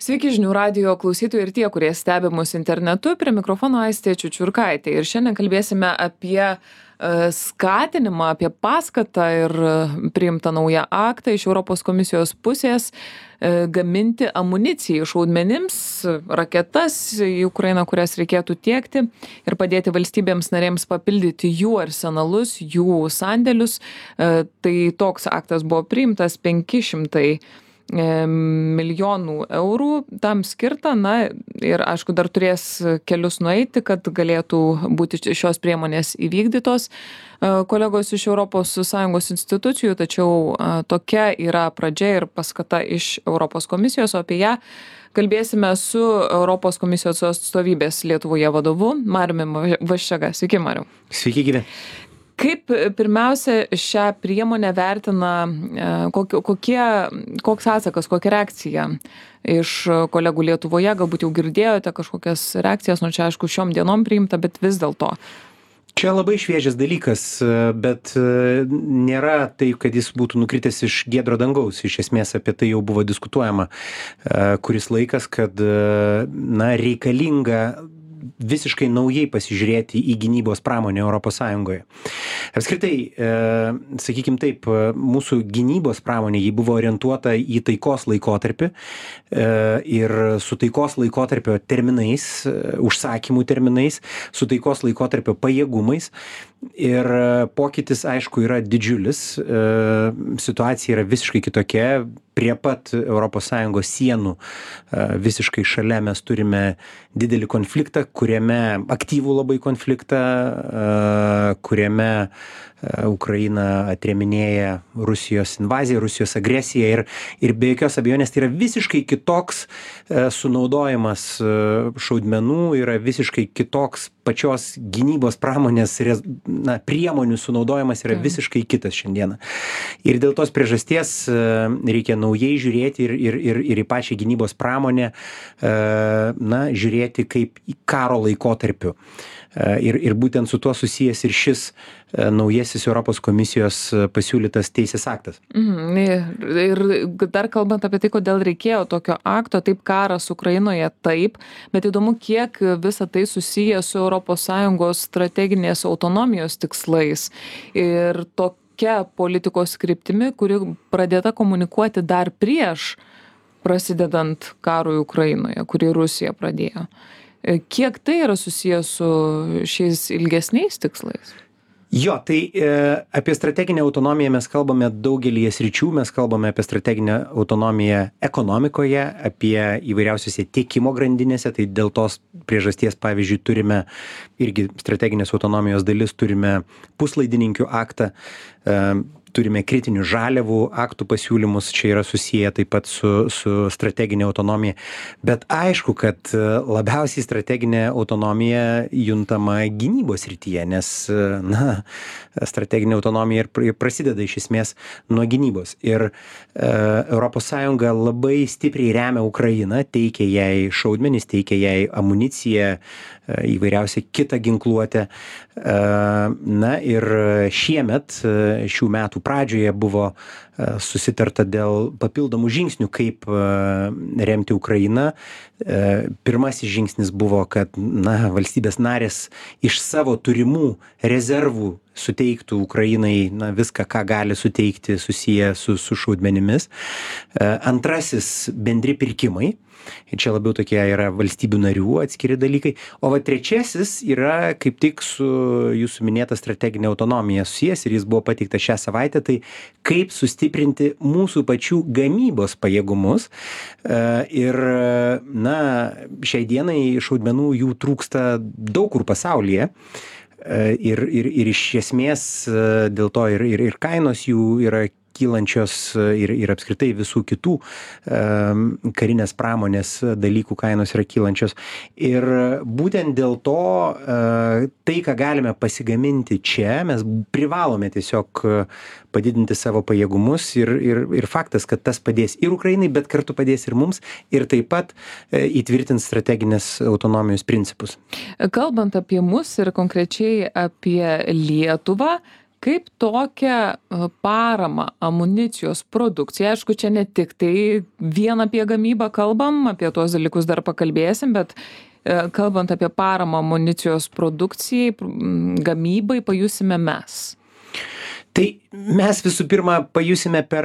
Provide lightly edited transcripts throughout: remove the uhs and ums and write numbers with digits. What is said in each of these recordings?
Sveiki žinių radijo klausytojai ir tie, kurie stebi mus internetu, prie mikrofono Aistė Čiučiurkaitė. Ir šiandien kalbėsime apie skatinimą, apie paskatą ir priimtą naują aktą iš Europos komisijos pusės gaminti amuniciją šaudmenims, raketas į Ukrainą, kurias reikėtų tiekti ir padėti valstybėms narėms papildyti jų arsenalus, jų sandėlius. Tai toks aktas buvo priimtas 500 milijonų eurų tam skirta, ir aišku, dar turės kelius nueiti, kad galėtų būti šios priemonės įvykdytos kolegos iš ES institucijų, tačiau tokia yra pradžia ir paskata iš Europos komisijos, o apie ją kalbėsime su Europos komisijos atstovybės Lietuvoje vadovu Mariumi Vaščega. Sveiki, Mariau. Sveiki, gyvi. Kaip pirmiausia šią priemonę vertina, koks atsakas, kokia reakcija iš kolegų Lietuvoje, galbūt jau girdėjote kažkokias reakcijas, čia aišku šiom dienom priimta, bet vis dėlto. Čia labai šviežias dalykas, bet nėra taip, kad jis būtų nukritęs iš giedro dangaus. Iš esmės apie tai jau buvo diskutuojama kuris laikas, kad reikalinga visiškai naujai pasižiūrėti į gynybos pramonę Europos Sąjungoje. Apskritai, sakykim taip, mūsų gynybos pramonė, ji buvo orientuota į taikos laikotarpį ir su taikos laikotarpio terminais, užsakymų terminais, su taikos laikotarpio pajėgumais. Ir pokytis, aišku, yra didžiulis, situacija yra visiškai kitokia, prie pat ES sienų visiškai šalia mes turime didelį konfliktą, aktyvų labai konfliktą, kuriame Ukraina atrėminėja Rusijos invaziją, Rusijos agresiją ir be jokios abejonės tai yra visiškai kitoks sunaudojimas šaudmenų, yra visiškai kitoks pačios gynybos pramonės priemonių sunaudojimas yra visiškai kitas šiandieną. Ir dėl tos priežasties reikia naujai žiūrėti ir į pačią gynybos pramonę, žiūrėti kaip į karo laikotarpiu. Ir būtent su tuo susijęs ir šis naujasis Europos komisijos pasiūlytas teisės aktas. Ir dar kalbant apie tai, kodėl reikėjo tokio akto, taip karas Ukrainoje taip, bet įdomu, kiek visa tai susiję su ES strateginės autonomijos tikslais ir tokia politikos kryptimi, kuri pradėta komunikuoti dar prieš prasidedant karui Ukrainoje, kurį Rusija pradėjo. Kiek tai yra susijęs su šiais ilgesniais tikslais? Jo, tai apie strateginę autonomiją mes kalbame daugelį sričių, mes kalbame apie strateginę autonomiją ekonomikoje, apie įvairiausiose tiekimo grandinėse, tai dėl tos priežasties, pavyzdžiui, turime irgi strateginės autonomijos dalis, turime puslaidininkių aktą, turime kritinių žaliavų aktų pasiūlymus, čia yra susiję taip pat su strateginė autonomija. Bet aišku, kad labiausiai strateginė autonomija juntama gynybos srityje, nes strateginė autonomija ir prasideda iš esmės nuo gynybos. Ir ES labai stipriai remia Ukrainą, teikia jai šaudmenis, teikia jai amuniciją, įvairiausią kitą ginkluotę. Ir šiemet, šių metų pradžioje buvo susitarta dėl papildomų žingsnių, kaip remti Ukrainą. Pirmasis žingsnis buvo, kad valstybės narės iš savo turimų rezervų suteiktų Ukrainai viską, ką gali suteikti susiję su šaudmenimis. Antrasis bendri pirkimai. Ir čia labiau tokie yra valstybių narių atskiri dalykai. O trečiasis yra kaip tik su jūsų minėta strateginė autonomija susijęs ir jis buvo pateiktas šią savaitę, tai kaip sustiprinti mūsų pačių gamybos pajėgumus. Ir šiai dienai šaudmenų jų trūksta daug kur pasaulyje. Ir iš esmės dėl to ir kainos jų yra kylančios ir apskritai visų kitų karinės pramonės dalykų kainos yra kylančios. Ir būtent dėl to tai, ką galime pasigaminti čia, mes privalome tiesiog padidinti savo pajėgumus ir faktas, kad tas padės ir Ukrainai, bet kartu padės ir mums ir taip pat įtvirtins strateginės autonomijos principus. Kalbant apie mus ir konkrečiai apie Lietuvą, kaip tokią paramą amunicijos produkcijai, aišku, čia ne tik tai vien apie gamybą kalbam, apie tuos dalykus dar pakalbėsim, bet kalbant apie paramą amunicijos produkcijai, gamybai, pajusime mes? Tai mes visų pirma pajusime per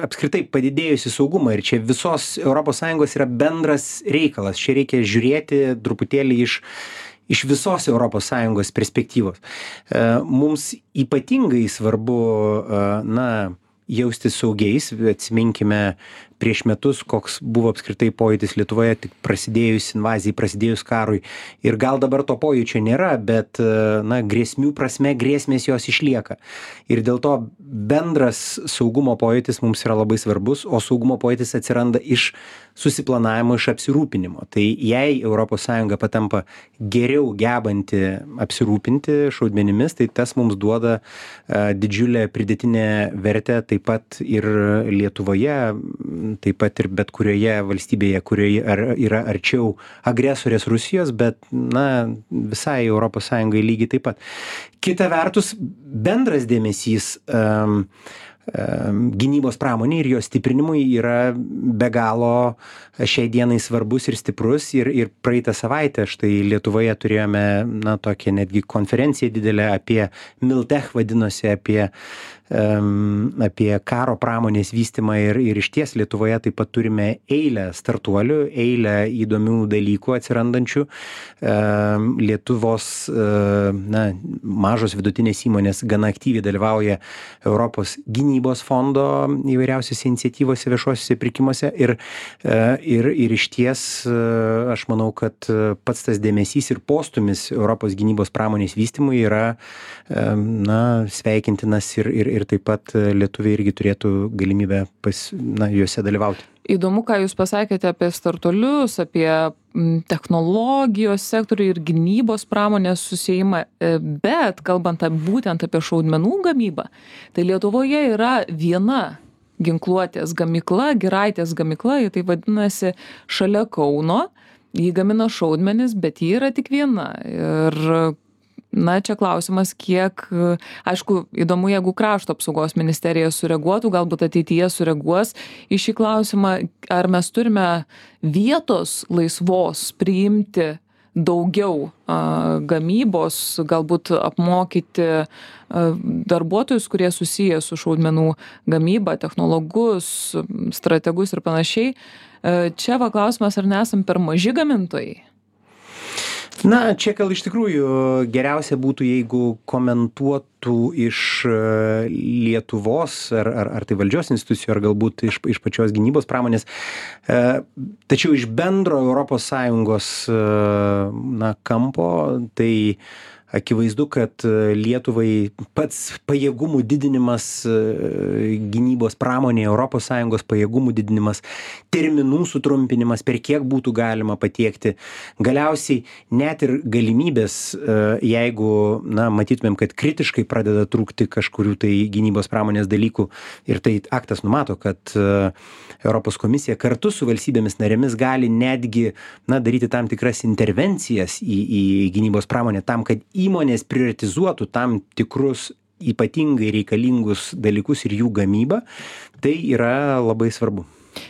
apskritai padidėjusį saugumą ir čia visos ES yra bendras reikalas. Čia reikia žiūrėti truputėlį iš visos ES perspektyvos. Mums ypatingai svarbu, jaustis saugiais, atsiminkime prieš metus, koks buvo apskritai pojūtis Lietuvoje, tik prasidėjus invazijai, prasidėjus karui. Ir gal dabar to pojūčio nėra, bet, grėsmių prasme, grėsmės jos išlieka. Ir dėl to bendras saugumo pojūtis mums yra labai svarbus, o saugumo pojūtis atsiranda iš susiplanavimo, iš apsirūpinimo. Tai jei ES patampa geriau gebanti apsirūpinti šaudmenimis, tai tas mums duoda didžiulę pridėtinę vertę taip pat ir Lietuvoje, taip pat ir bet kurioje valstybėje, kurioje yra arčiau agresorės Rusijos, bet, visai ES lygiai taip pat. Kita vertus, bendras dėmesys gynybos pramonė ir jos stiprinimui yra be galo šiai dienai svarbus ir stiprus ir praeitą savaitę štai Lietuvoje turėjome tokią netgi konferenciją didelę apie Miltech vadinosi, apie karo pramonės vystymą ir išties Lietuvoje taip pat turime eilę startuolių, eilę įdomių dalykų atsirandančių. Lietuvos mažos vidutinės įmonės gana aktyviai dalyvauja Europos gynybos fondo įvairiausiose iniciatyvose, viešuosiuose pirkimuose ir išties aš manau, kad pats tas dėmesys ir postumis Europos gynybos pramonės vystymui yra sveikintinas ir taip pat lietuviai irgi turėtų galimybę juose dalyvauti. Įdomu, ką Jūs pasakėte apie startuolius, apie technologijos sektorių ir gynybos pramonės susijimą, bet kalbant būtent apie šaudmenų gamybą, tai Lietuvoje yra viena ginkluotės gamykla, Giraitės gamykla, ji tai vadinasi šalia Kauno, ji gamina šaudmenis, bet ji yra tik viena. Ir čia klausimas, kiek, aišku, įdomu, jeigu krašto apsaugos ministerija sureaguotų, galbūt ateityje sureaguos į šį klausimą, ar mes turime vietos laisvos priimti daugiau gamybos, galbūt apmokyti darbuotojus, kurie susiję su šaudmenų gamyba, technologus, strategus ir panašiai. Čia klausimas, ar nesam per maži gamintojai? Čia gal iš tikrųjų geriausia būtų, jeigu komentuotų iš Lietuvos ar tai valdžios institucijų, ar galbūt iš pačios gynybos pramonės. Tačiau iš bendro ES kampo, tai akivaizdu, kad Lietuvai pats pajėgumų didinimas gynybos pramonėje, ES pajėgumų didinimas, terminų sutrumpinimas, per kiek būtų galima patiekti. Galiausiai net ir galimybės, jeigu matytumėm, kad kritiškai pradeda trūkti kažkurių tai gynybos pramonės dalykų ir tai aktas numato, kad Europos komisija kartu su valstybėmis narėmis gali netgi daryti tam tikras intervencijas į gynybos pramonę tam, kad įmonės prioritizuotų tam tikrus ypatingai reikalingus dalykus ir jų gamybą, tai yra labai svarbu.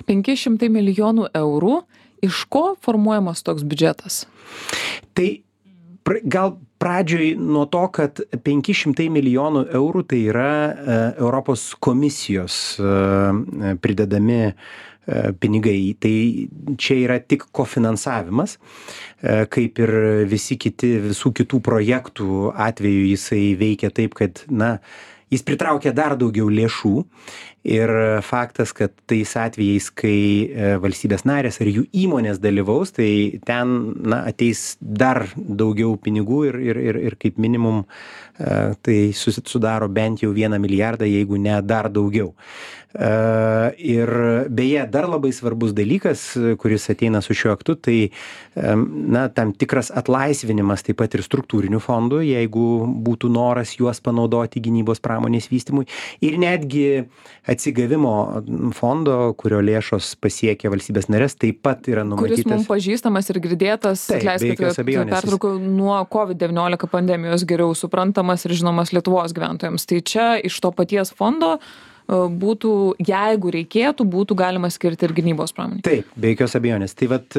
500 milijonų eurų, iš ko formuojamas toks biudžetas? Tai gal pradžioj nuo to, kad 500 milijonų eurų tai yra Europos komisijos pridedami pinigai. Tai čia yra tik kofinansavimas, kaip ir visų kitų projektų atveju jisai veikia taip, kad jis pritraukia dar daugiau lėšų ir faktas, kad tais atvejais, kai valstybės narės ar jų įmonės dalyvaus, tai ten ateis dar daugiau pinigų ir kaip minimum tai sudaro bent jau 1 milijardą, jeigu ne dar daugiau. Ir beje, dar labai svarbus dalykas, kuris ateina su šiuo aktu, tai tam tikras atlaisvinimas taip pat ir struktūrinių fondų, jeigu būtų noras juos panaudoti gynybos pramonės vystymui. Ir netgi atsigavimo fondo, kurio lėšos pasiekia valstybės narės, taip pat yra numatytas. Kuris mums pažįstamas ir girdėtas, pertraukau, nuo COVID-19 pandemijos geriau suprantamas ir žinomas Lietuvos gyventojams. Tai čia iš to paties fondo būtų, jeigu reikėtų, būtų galima skirti ir gynybos pramonei. Taip, be jokios abejonės. Tai vat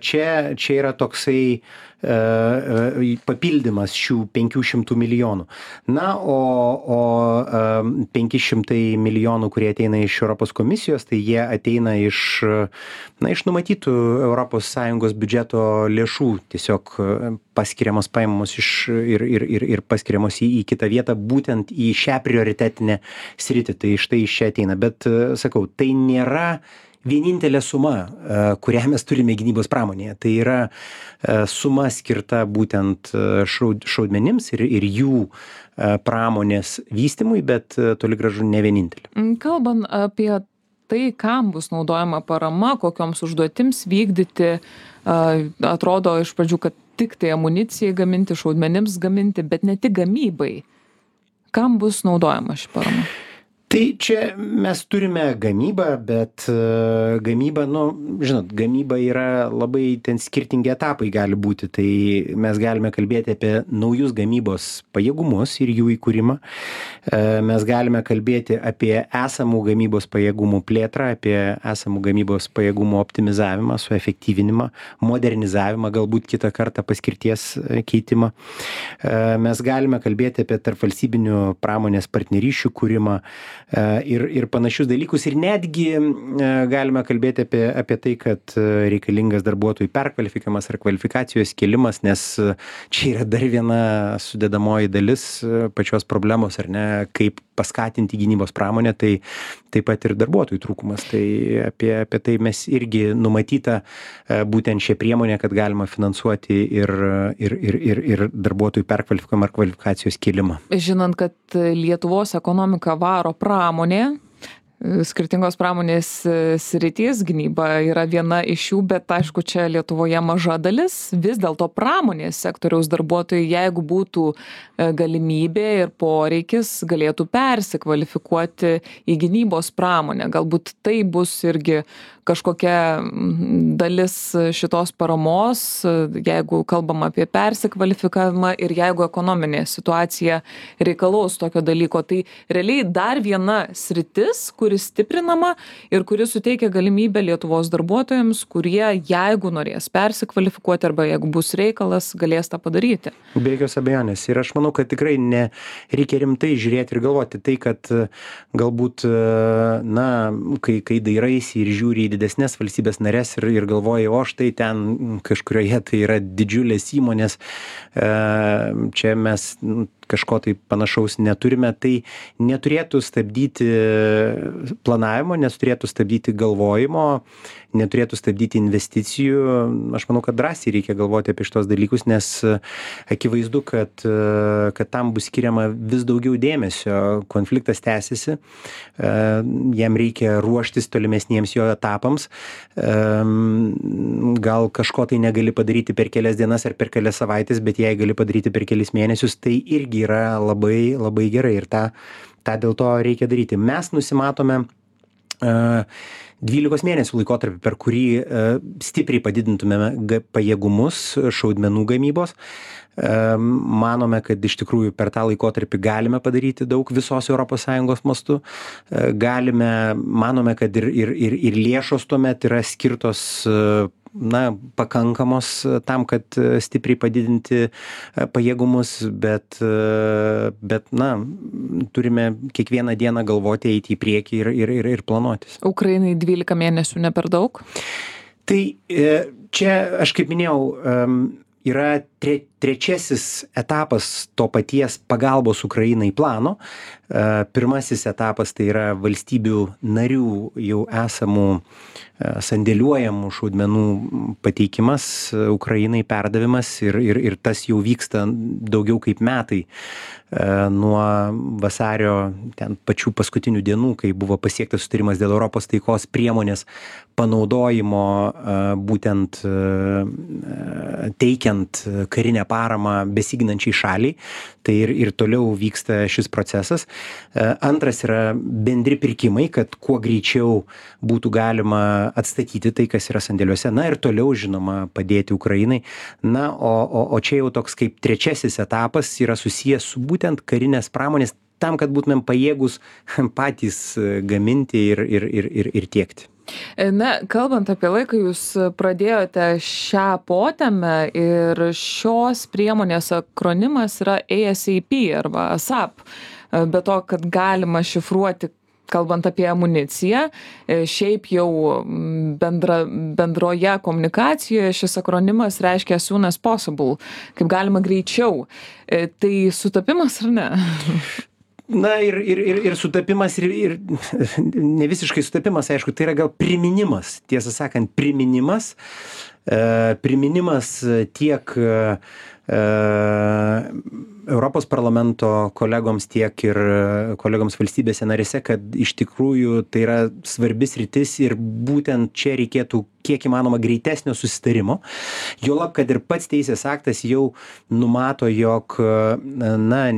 čia yra toksai papildymas šių 500 milijonų. Na, o 500 milijonų, kurie ateina iš Europos komisijos, tai jie ateina iš numatytų ES biudžeto lėšų, tiesiog paskiriamos paimamos ir paskiriamos į kitą vietą, būtent į šią prioritetinę sritį. Tai štai iš čia ateina. Bet, sakau, tai nėra vienintelė suma, kurią mes turime gynybos pramonėje. Tai yra suma skirta būtent šaudmenims ir jų pramonės vystymui, bet toli gražu ne vienintelė. Kalbant apie tai, kam bus naudojama parama, kokioms užduotims vykdyti, atrodo iš pradžių, kad tik tai amunicijai gaminti, šaudmenims gaminti, bet ne tik gamybai. Kam bus naudojama ši parama? Tai čia mes turime gamybą, bet gamyba, žinot, gamyba yra labai ten skirtingi etapai gali būti. Tai mes galime kalbėti apie naujus gamybos pajėgumus ir jų įkūrimą. Mes galime kalbėti apie esamų gamybos pajėgumų plėtrą, apie esamų gamybos pajėgumų optimizavimą, suefektyvinimą, modernizavimą, galbūt kitą kartą paskirties keitimą. Mes galime kalbėti apie tarpvalstybinių pramonės partnerysčių kūrimą ir panašius dalykus. Ir netgi galime kalbėti apie tai, kad reikalingas darbuotojų perkvalifikavimas ar kvalifikacijos kėlimas, nes čia yra dar viena sudedamoji dalis pačios problemos, ar ne, kaip paskatinti gynybos pramonę, tai taip pat ir darbuotojų trūkumas. Tai apie tai mes irgi numatyta būtent šią priemonę, kad galima finansuoti ir darbuotojų perkvalifikavimą ar kvalifikacijos kėlimą. Žinant, kad Lietuvos ekonomika varo pramonė, skirtingos pramonės sritys, gynyba yra viena iš jų, bet aišku, čia Lietuvoje maža dalis. Vis dėlto pramonės sektoriaus darbuotojai, jeigu būtų galimybė ir poreikis, galėtų persikvalifikuoti į gynybos pramonę. Galbūt tai bus irgi kažkokia dalis šitos paramos, jeigu kalbam apie persikvalifikavimą ir jeigu ekonominė situacija reikalaus tokio dalyko. Tai realiai dar viena sritis, kuri stiprinama ir kuri suteikia galimybę Lietuvos darbuotojams, kurie, jeigu norės persikvalifikuoti arba jeigu bus reikalas, galės tą padaryti. Be jokios abejonės. Ir aš manau, kad tikrai reikia rimtai žiūrėti ir galvoti tai, kad galbūt, kai dairaisi ir žiūri į didesnės valstybės narės ir galvoji, o štai ten kažkurioje tai yra didžiulės įmonės, čia mes kažko tai panašaus neturime, tai neturėtų stabdyti planavimo, neturėtų stabdyti galvojimo, neturėtų stabdyti investicijų. Aš manau, kad drąsiai reikia galvoti apie šitos dalykus, nes akivaizdu, kad tam bus skiriama vis daugiau dėmesio. Konfliktas tęsiasi, jam reikia ruoštis tolimesniems jo etapams. Gal kažko tai negali padaryti per kelias dienas ar per kelias savaitės, bet jei gali padaryti per kelis mėnesius, tai irgi yra labai, labai gerai ir tą dėl to reikia daryti. Mes nusimatome 12 mėnesių laikotarpį, per kurį stipriai padidintumėme pajėgumus šaudmenų gamybos. Manome, kad iš tikrųjų per tą laikotarpį galime padaryti daug visos ES mastu. Manome, kad ir lėšos tuomet yra skirtos pakankamos tam, kad stipriai padidinti pajėgumus, bet turime kiekvieną dieną galvoti, eiti į priekį ir planuotis. Ukrainai 12 mėnesių ne per daug? Tai čia, aš kaip minėjau, yra trečiasis etapas to paties pagalbos Ukrainai plano. Pirmasis etapas tai yra valstybių narių jau esamų sandėliuojamų šaudmenų pateikimas Ukrainai, perdavimas ir tas jau vyksta daugiau kaip metai nuo vasario ten pačių paskutinių dienų, kai buvo pasiektas sutarimas dėl Europos taikos priemonės panaudojimo būtent teikiant karinę paramą besiginančiai šaliai. Tai ir toliau vyksta šis procesas. Antras yra bendri pirkimai, kad kuo greičiau būtų galima atstatyti tai, kas yra sandėliuose. Na ir toliau, žinoma, padėti Ukrainai. Na, o čia jau toks kaip trečiasis etapas yra susijęs su būtent karinės pramonės, tam, kad būtumėm pajėgus patys gaminti ir tiekti. Na, kalbant apie laiką, jūs pradėjote šią potemę ir šios priemonės akronimas yra ASAP arba ASAP. Be to, kad galima šifruoti, kalbant apie amuniciją, šiaip jau bendroje komunikacijoje šis akronimas reiškia as soon as possible, kaip galima greičiau. Tai sutapimas ar ne? Na ir sutapimas ir ne visiškai sutapimas, aišku, tai yra gal priminimas, tiesą sakant, priminimas tiek Europos parlamento kolegoms, tiek ir kolegoms valstybėse narėse, kad iš tikrųjų tai yra svarbi sritis ir būtent čia reikėtų kiek įmanoma greitesnio susitarimo. Juolab, kad ir pats teisės aktas jau numato, jog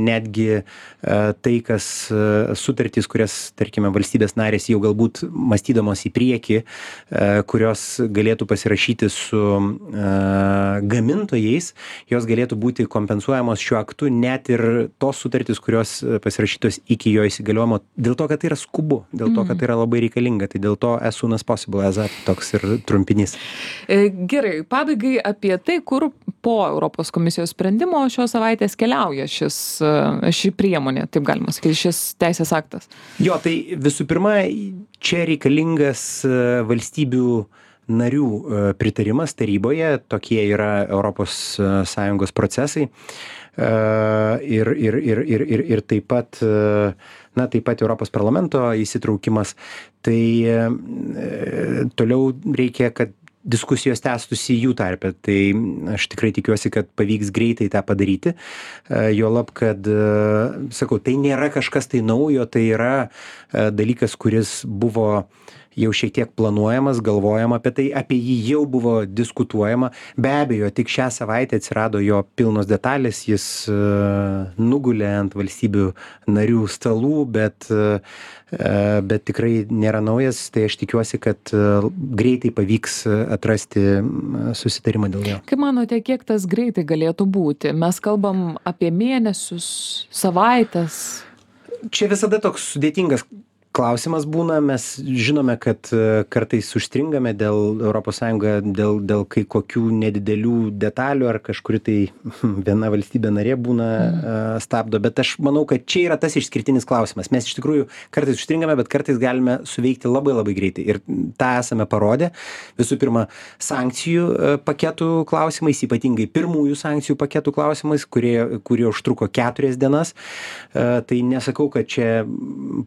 netgi tai, kas sutartys, kurias, tarkime, valstybės narės jau galbūt mąstydamos į priekį, kurios galėtų pasirašyti su gamintojais, jos galėtų būti kompensuojamos šiuo aktu, net ir tos sutartys, kurios pasirašytos iki jo įsigaliojimo, dėl to, kad tai yra skubu, dėl to, kad tai yra labai reikalinga, tai dėl to as soon as possible, toks ir trumpinys. Gerai, pabaigai apie tai, kur po Europos komisijos sprendimo šios savaitės keliauja ši priemonė, taip galima sakyti, šis teisės aktas. Jo, tai visų pirma, čia reikalingas valstybių narių pritarimas taryboje, tokie yra ES procesai. Ir taip pat Europos parlamento įsitraukimas. Tai toliau reikia, kad diskusijos tęstųsi jų tarpe. Tai aš tikrai tikiuosi, kad pavyks greitai tą padaryti. Juolab, kad, sakau, tai nėra kažkas tai naujo, tai yra dalykas, kuris buvo jau šiek tiek planuojamas, galvojama apie tai, apie jį jau buvo diskutuojama. Be abejo, tik šią savaitę atsirado jo pilnos detalės, jis nugulė ant valstybių narių stalų, bet tikrai nėra naujas, tai aš tikiuosi, kad greitai pavyks atrasti susitarimą dėl jo. Kaip manote, kiek tas greitai galėtų būti? Mes kalbam apie mėnesius, savaitės. Čia visada toks sudėtingas klausimas būna, mes žinome, kad kartais užstringame dėl ES, dėl kai kokių nedidelių detalių ar kažkuri tai viena valstybė narė būna stabdo, bet aš manau, kad čia yra tas išskirtinis klausimas. Mes iš tikrųjų kartais užstringame, bet kartais galime suveikti labai labai greitai ir tą esame parodę. Visų pirma, sankcijų paketų klausimais, ypatingai pirmųjų sankcijų paketų klausimais, kurie užtruko 4 dienas. Tai nesakau, kad čia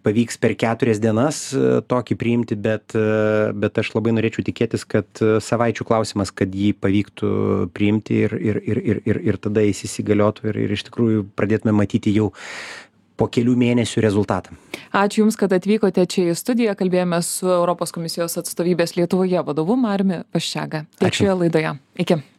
pavyks per 4 dienas tokį priimti, bet aš labai norėčiau tikėtis, kad savaičių klausimas, kad jį pavyktų priimti ir tada jis įsigaliotų ir iš tikrųjų pradėtume matyti jau po kelių mėnesių rezultatą. Ačiū Jums, kad atvykote čia į studiją. Kalbėjome su Europos komisijos atstovybės Lietuvoje vadovu Mariumi Vaščega. Tiek šioje laidoje. Iki.